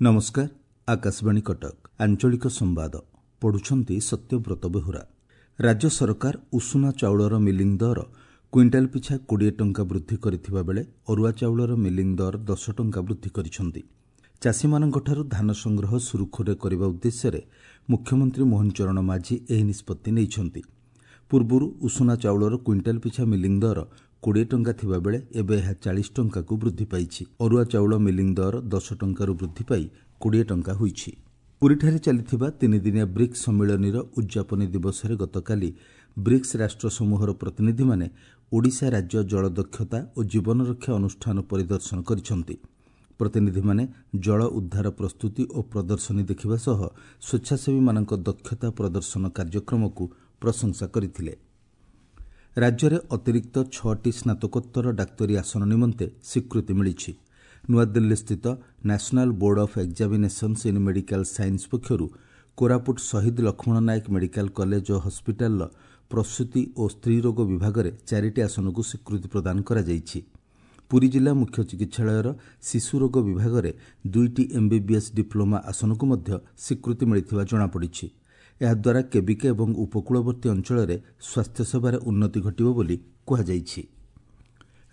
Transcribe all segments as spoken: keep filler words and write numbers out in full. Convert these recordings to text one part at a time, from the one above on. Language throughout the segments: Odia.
ନମସ୍କାର, ଆକାଶବାଣୀ କଟକ, ଆଞ୍ଚଳିକ ସମ୍ବାଦ ପଢୁଛନ୍ତି ସତ୍ୟବ୍ରତ ବେହୁରା। ରାଜ୍ୟ ସରକାର ଉଷୁନା ଚାଉଳର ମିଲିଂ ଦର କୁଇଣ୍ଟାଲ ପିଛା କୋଡ଼ିଏ ଟଙ୍କା ବୃଦ୍ଧି କରିଥିବା ବେଳେ ଅରୁଆ ଚାଉଳର ମିଲିଂ ଦର ଦଶ ଟଙ୍କା ବୃଦ୍ଧି କରିଛନ୍ତି। ଚାଷୀମାନଙ୍କଠାରୁ ଧାନ ସଂଗ୍ରହ ସୁରୁଖୁରୁରେ କରିବା ଉଦ୍ଦେଶ୍ୟରେ ମୁଖ୍ୟମନ୍ତ୍ରୀ ମୋହନ ଚରଣ ମାଝୀ ଏହି ନିଷ୍ପତ୍ତି ନେଇଛନ୍ତି। ପୂର୍ବରୁ ଉଷୁନା ଚାଉଳର କୁଇଣ୍ଟାଲ ପିଛା ମିଲିଂ ଦର କୋଡ଼ିଏ ଟଙ୍କା ଥିବାବେଳେ ଏବେ ଏହା ଚାଳିଶ ଟଙ୍କାକୁ ବୃଦ୍ଧି ପାଇଛି। ଅରୁଆ ଚାଉଳ ମିଲିଂ ଦର ଦଶ ଟଙ୍କାରୁ ବୃଦ୍ଧି ପାଇ କୋଡ଼ିଏ ଟଙ୍କା ହୋଇଛି। ପୁରୀଠାରେ ଚାଲିଥିବା ତିନିଦିନିଆ ବ୍ରିକ୍ସ ସମ୍ମିଳନୀର ଉଦ୍ଯାପନୀ ଦିବସରେ ଗତକାଲି ବ୍ରିକ୍ସ ରାଷ୍ଟ୍ର ସମୂହର ପ୍ରତିନିଧିମାନେ ଓଡ଼ିଶା ରାଜ୍ୟ ଜଳ ଦକ୍ଷତା ଓ ଜୀବନରକ୍ଷା ଅନୁଷ୍ଠାନ ପରିଦର୍ଶନ କରିଛନ୍ତି। ପ୍ରତିନିଧିମାନେ ଜଳ ଉଦ୍ଧାର ପ୍ରସ୍ତୁତି ଓ ପ୍ରଦର୍ଶନୀ ଦେଖିବା ସହ ସ୍ୱେଚ୍ଛାସେବୀମାନଙ୍କ ଦକ୍ଷତା ପ୍ରଦର୍ଶନ କାର୍ଯ୍ୟକ୍ରମକୁ ପ୍ରଶଂସା କରିଥିଲେ। ରାଜ୍ୟରେ ଅତିରିକ୍ତ ଛଅଟି ସ୍ନାତକୋତ୍ତର ଡାକ୍ତରୀ ଆସନ ନିମନ୍ତେ ସ୍ୱୀକୃତି ମିଳିଛି। ନୂଆଦିଲ୍ଲୀସ୍ଥିତ National Board of Examinations in Medical Science ପକ୍ଷରୁ କୋରାପୁଟ ଶହୀଦ ଲକ୍ଷ୍ମଣ ନାୟକ ମେଡିକାଲ କଲେଜ ଓ ହସ୍ପିଟାଲର ପ୍ରସୂତି ଓ ସ୍ତ୍ରୀରୋଗ ବିଭାଗରେ ଚାରିଟି ଆସନକୁ ସ୍ୱୀକୃତି ପ୍ରଦାନ କରାଯାଇଛି। ପୁରୀ ଜିଲ୍ଲା ମୁଖ୍ୟ ଚିକିତ୍ସାଳୟର ଶିଶୁରୋଗ ବିଭାଗରେ ଦୁଇଟି ଏମ୍ବିବିଏସ୍ ଡିପ୍ଲୋମା ଆସନକୁ ମଧ୍ୟ ସ୍ୱୀକୃତି ମିଳିଥିବା ଜଣାପଡ଼ିଛି। ଏହାଦ୍ୱାରା କେବିକେ ଏବଂ ଉପକୂଳବର୍ତ୍ତୀ ଅଞ୍ଚଳରେ ସ୍ୱାସ୍ଥ୍ୟସେବାରେ ଉନ୍ନତି ଘଟିବ ବୋଲି କୁହାଯାଇଛି।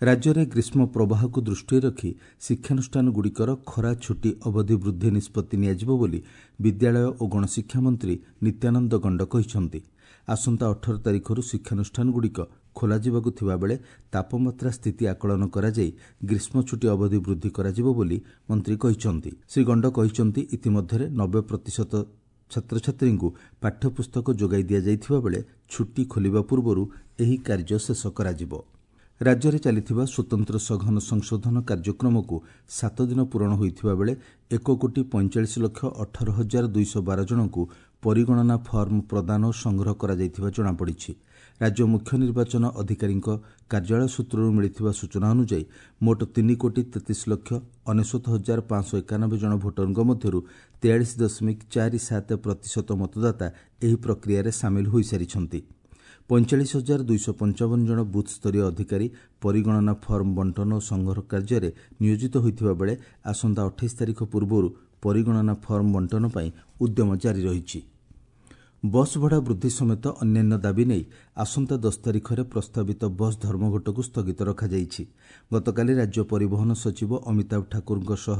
ରାଜ୍ୟରେ ଗ୍ରୀଷ୍ମ ପ୍ରବାହକୁ ଦୃଷ୍ଟିରେ ରଖି ଶିକ୍ଷାନୁଷ୍ଠାନଗୁଡ଼ିକର ଖରା ଛୁଟି ଅବଧି ବୃଦ୍ଧି ନିଷ୍ପତ୍ତି ନିଆଯିବ ବୋଲି ବିଦ୍ୟାଳୟ ଓ ଗଣଶିକ୍ଷା ମନ୍ତ୍ରୀ ନିତ୍ୟାନନ୍ଦ ଗଣ୍ଡ କହିଛନ୍ତି। ଆସନ୍ତା ଅଠର ତାରିଖରୁ ଶିକ୍ଷାନୁଷ୍ଠାନଗୁଡ଼ିକ ଖୋଲାଯିବାକୁ ଥିବାବେଳେ ତାପମାତ୍ରା ସ୍ଥିତି ଆକଳନ କରାଯାଇ ଗ୍ରୀଷ୍ମ ଛୁଟି ଅବଧି ବୃଦ୍ଧି କରାଯିବ ବୋଲି ମନ୍ତ୍ରୀ କହିଛନ୍ତି। ଶ୍ରୀ ଗଣ୍ଡ କହିଛନ୍ତି, ଇତିମଧ୍ୟରେ ନବେ ପ୍ରତିଶତ ଛାତ୍ରଛାତ୍ରୀଙ୍କୁ ପାଠ୍ୟପୁସ୍ତକ ଯୋଗାଇ ଦିଆଯାଇଥିବା ବେଳେ ଛୁଟି ଖୋଲିବା ପୂର୍ବରୁ ଏହି କାର୍ଯ୍ୟ ଶେଷ କରାଯିବ। ରାଜ୍ୟରେ ଚାଲିଥିବା ସ୍ୱତନ୍ତ୍ର ସଘନ ସଂଶୋଧନ କାର୍ଯ୍ୟକ୍ରମକୁ ସାତ ଦିନ ପୂରଣ ହୋଇଥିବା ବେଳେ ଏକ କୋଟି ପଇଁଚାଳିଶ ଲକ୍ଷ ଅଠର ହଜାର ଦୁଇଶହ ବାର ଜଣଙ୍କୁ ପରିଗଣନା ଫର୍ମ ପ୍ରଦାନ ଓ ସଂଗ୍ରହ କରାଯାଇଥିବା ଜଣାପଡ଼ିଛି। ରାଜ୍ୟ ମୁଖ୍ୟ ନିର୍ବାଚନ ଅଧିକାରୀଙ୍କ କାର୍ଯ୍ୟାଳୟ ସୂତ୍ରରୁ ମିଳିଥିବା ସୂଚନା ଅନୁଯାୟୀ ମୋଟ ତିନି କୋଟି ତେତିଶ ଲକ୍ଷ ଅନେଶ୍ୱତ ହଜାର ପାଞ୍ଚଶହ ଏକାନବେ ଜଣ ଭୋଟରଙ୍କ ମଧ୍ୟରୁ ତେୟାଳିଶ ଦଶମିକ ଚାରି ସାତ ପ୍ରତିଶତ ମତଦାତା ଏହି ପ୍ରକ୍ରିୟାରେ ସାମିଲ ହୋଇସାରିଛନ୍ତି। ପଇଁଚାଳିଶ ହଜାର ଦୁଇଶହ ପଞ୍ଚାବନ ଜଣ ବୁଥ୍ସ୍ତରୀୟ ଅଧିକାରୀ ପରିଗଣନା ଫର୍ମ ବଣ୍ଟନ ଓ ସଂଗ୍ରହ କାର୍ଯ୍ୟରେ ନିୟୋଜିତ ହୋଇଥିବା ବେଳେ ଆସନ୍ତା ଅଠେଇଶ ତାରିଖ ପୂର୍ବରୁ ପରିଗଣନା ଫର୍ମ ବଣ୍ଟନ ପାଇଁ ଉଦ୍ୟମ ଜାରି ରହିଛି। ବସ୍ ଭଡ଼ା ବୃଦ୍ଧି ସମେତ ଅନ୍ୟାନ୍ୟ ଦାବି ନେଇ ଆସନ୍ତା ଦଶ ତାରିଖରେ ପ୍ରସ୍ତାବିତ ବସ୍ ଧର୍ମଘଟକୁ ସ୍ଥଗିତ ରଖାଯାଇଛି। ଗତକାଲି ରାଜ୍ୟ ପରିବହନ ସଚିବ ଅମିତାଭ ଠାକୁରଙ୍କ ସହ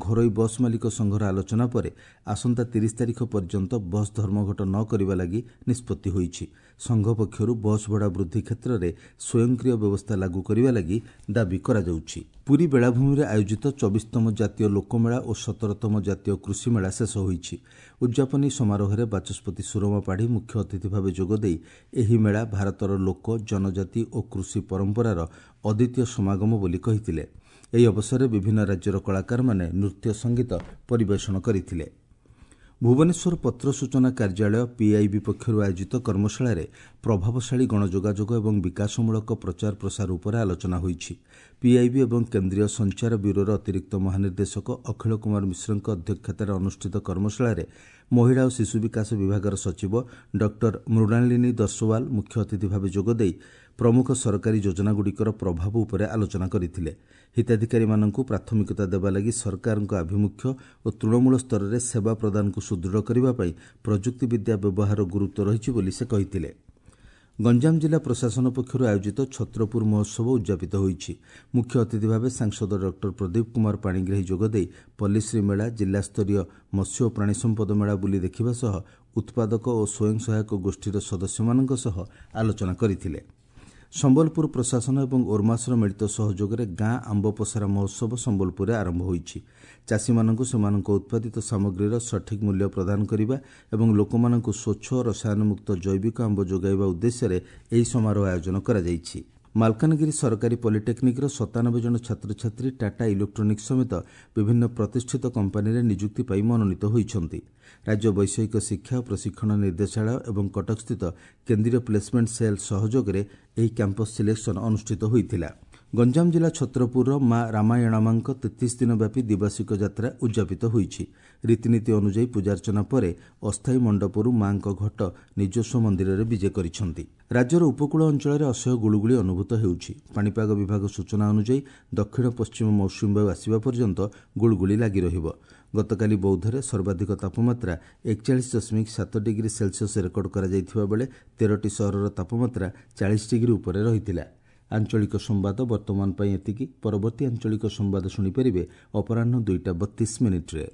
ଘରୋଇ ବସ୍ ମାଲିକ ସଂଘର ଆଲୋଚନା ପରେ ଆସନ୍ତା ତିରିଶ ତାରିଖ ପର୍ଯ୍ୟନ୍ତ ବସ୍ ଧର୍ମଘଟ ନ କରିବା ଲାଗି ନିଷ୍ପତ୍ତି ହୋଇଛି। ସଂଘ ପକ୍ଷରୁ ବସ୍ ଭଡ଼ା ବୃଦ୍ଧି କ୍ଷେତ୍ରରେ ସ୍ୱୟଂକ୍ରିୟ ବ୍ୟବସ୍ଥା ଲାଗୁ କରିବା ଲାଗି ଦାବି କରାଯାଉଛି। ପୁରୀ ବେଳାଭୂମିରେ ଆୟୋଜିତ ଚବିଶତମ ଜାତୀୟ ଲୋକମେଳା ଓ ସତରତମ ଜାତୀୟ କୃଷିମେଳା ଶେଷ ହୋଇଛି। ଉଦ୍ଯାପନୀ ସମାରୋହରେ ବାଚସ୍ପତି ସୁରମା ପାଢ଼ୀ ମୁଖ୍ୟ ଅତିଥି ଭାବେ ଯୋଗଦେଇ ଏହି ମେଳା ଭାରତର ଲୋକ, ଜନଜାତି ଓ କୃଷି ପରମ୍ପରାର ଅଦ୍ୱିତୀୟ ସମାଗମ ବୋଲି କହିଥିଲେ। ଏହି ଅବସରରେ ବିଭିନ୍ନ ରାଜ୍ୟର କଳାକାରମାନେ ନୃତ୍ୟ ସଙ୍ଗୀତ ପରିବେଷଣ କରିଥିଲେ। ଭୁବନେଶ୍ୱର ପତ୍ର ସୂଚନା କାର୍ଯ୍ୟାଳୟ ପିଆଇବି ପକ୍ଷରୁ ଆୟୋଜିତ କର୍ମଶାଳାରେ ପ୍ରଭାବଶାଳୀ ଗଣଯୋଗାଯୋଗ ଏବଂ ବିକାଶମୂଳକ ପ୍ରଚାର ପ୍ରସାର ଉପରେ ଆଲୋଚନା ହୋଇଛି। ପିଆଇବି ଏବଂ କେନ୍ଦ୍ରୀୟ ସଞ୍ଚାର ବ୍ୟୁରୋର ଅତିରିକ୍ତ ମହାନିର୍ଦ୍ଦେଶକ ଅଖିଳ କୁମାର ମିଶ୍ରଙ୍କ ଅଧ୍ୟକ୍ଷତାରେ ଅନୁଷ୍ଠିତ କର୍ମଶାଳାରେ ମହିଳା ଓ ଶିଶୁ ବିକାଶ ବିଭାଗର ସଚିବ ଡକ୍ଟର ମୃଣାଳିନୀ ଦର୍ଶୱାଲ ମୁଖ୍ୟ ଅତିଥି ଭାବେ ଯୋଗଦେଇ ପ୍ରମୁଖ ସରକାରୀ ଯୋଜନାଗୁଡ଼ିକର ପ୍ରଭାବ ଉପରେ ଆଲୋଚନା କରିଥିଲେ। ହିତାଧିକାରୀମାନଙ୍କୁ ପ୍ରାଥମିକତା ଦେବା ଲାଗି ସରକାରଙ୍କ ଆଭିମୁଖ୍ୟ ଓ ତୃଣମୂଳ ସ୍ତରରେ ସେବା ପ୍ରଦାନକୁ ସୁଦୃଢ଼ କରିବା ପାଇଁ ପ୍ରଯୁକ୍ତିବିଦ୍ୟା ବ୍ୟବହାର ଗୁରୁତ୍ୱ ରହିଛି ବୋଲି ସେ କହିଥିଲେ। ଗଞ୍ଜାମ ଜିଲ୍ଲା ପ୍ରଶାସନ ପକ୍ଷରୁ ଆୟୋଜିତ ଛତ୍ରପୁର ମହୋତ୍ସବ ଉଦ୍ଯାପିତ ହୋଇଛି। ମୁଖ୍ୟ ଅତିଥି ଭାବେ ସାଂସଦ ଡକ୍ଟର ପ୍ରଦୀପ କୁମାର ପାଣିଗ୍ରାହୀ ଯୋଗଦେଇ ପଲ୍ଲୀଶ୍ରୀ ମେଳା, ଜିଲ୍ଲାସ୍ତରୀୟ ମତ୍ସ୍ୟ ଓ ପ୍ରାଣୀ ସମ୍ପଦ ମେଳା ବୁଲି ଦେଖିବା ସହ ଉତ୍ପାଦକ ଓ ସ୍ୱୟଂ ସହାୟକ ଗୋଷ୍ଠୀର ସଦସ୍ୟମାନଙ୍କ ସହ ଆଲୋଚନା କରିଥିଲେ। ସମ୍ବଲପୁର ପ୍ରଶାସନ ଏବଂ ଓର୍ମାସର ମିଳିତ ସହଯୋଗରେ ଗାଁ ଆମ୍ବ ପସରା ମହୋତ୍ସବ ସମ୍ବଲପୁରରେ ଆରମ୍ଭ ହୋଇଛି। ଚାଷୀମାନଙ୍କୁ ସେମାନଙ୍କ ଉତ୍ପାଦିତ ସାମଗ୍ରୀର ସଠିକ୍ ମୂଲ୍ୟ ପ୍ରଦାନ କରିବା ଏବଂ ଲୋକମାନଙ୍କୁ ସ୍ୱଚ୍ଛ ରସାୟନମୁକ୍ତ ଜୈବିକ ଆମ୍ବ ଯୋଗାଇବା ଉଦ୍ଦେଶ୍ୟରେ ଏହି ସମାରୋହ ଆୟୋଜନ କରାଯାଇଛି। ମାଲକାନଗିରି ସରକାରୀ ପଲିଟେକ୍ନିକ୍ର ସତାନବେ ଜଣ ଛାତ୍ରଛାତ୍ରୀ ଟାଟା ଇଲେକ୍ଟ୍ରୋନିକ୍ସ ସମେତ ବିଭିନ୍ନ ପ୍ରତିଷ୍ଠିତ କମ୍ପାନୀରେ ନିଯୁକ୍ତି ପାଇ ମନୋନୀତ ହୋଇଛନ୍ତି। ରାଜ୍ୟ ବୈଷୟିକ ଶିକ୍ଷା ଓ ପ୍ରଶିକ୍ଷଣ ନିର୍ଦ୍ଦେଶାଳୟ ଏବଂ କଟକସ୍ଥିତ କେନ୍ଦ୍ରୀୟ ପ୍ଲେସମେଣ୍ଟ ସେଲ୍ ସହଯୋଗରେ ଏହି କ୍ୟାମ୍ପସ୍ ସିଲେକ୍ସନ୍ ଅନୁଷ୍ଠିତ ହୋଇଥିଲା। ଗଞ୍ଜାମ ଜିଲ୍ଲା ଛତ୍ରପୁରର ମା ରାମାୟଣାମାଙ୍କ ତେତିଶ ଦିନ ବ୍ୟାପୀ ଦିବାସିକ ଯାତ୍ରା ଉଦ୍ଯାପିତ ହୋଇଛି। ରୀତିନୀତି ଅନୁଯାୟୀ ପୂଜାର୍ଚ୍ଚନା ପରେ ଅସ୍ଥାୟୀ ମଣ୍ଡପରୁ ମାଙ୍କ ଘଟ ନିଜସ୍ୱ ମନ୍ଦିରରେ ବିଜେ କରିଛନ୍ତି। ରାଜ୍ୟର ଉପକୂଳ ଅଞ୍ଚଳରେ ଅସହ୍ୟ ଗୁଳୁଗୁଳି ଅନୁଭୂତ ହେଉଛି। ପାଣିପାଗ ବିଭାଗ ସୂଚନା ଅନୁଯାୟୀ ଦକ୍ଷିଣ ପଶ୍ଚିମ ମୌସୁମୀ ବାୟୁ ଆସିବା ପର୍ଯ୍ୟନ୍ତ ଗୁଳୁଗୁଳି ଲାଗି ରହିବ। ଗତକାଲି ବୌଦ୍ଧରେ ସର୍ବାଧିକ ତାପମାତ୍ରା ଏକଚାଳିଶ ଦଶମିକ ସାତ ଡିଗ୍ରୀ ସେଲସିୟସ୍ ରେକର୍ଡ କରାଯାଇଥିବା ବେଳେ ତେରଟି ସହରର ତାପମାତ୍ରା ଚାଳିଶ ଡିଗ୍ରୀ ଉପରେ ରହିଥିଲା। ଆଞ୍ଚଳିକ ସମ୍ବାଦ ବର୍ତ୍ତମାନ ପାଇଁ ଏତିକି। ପରବର୍ତ୍ତୀ ଆଞ୍ଚଳିକ ସମ୍ବାଦ ଶୁଣିପାରିବେ ଅପରାହ୍ନ ଦୁଇଟା ବତିଶ ମିନିଟ୍ରେ।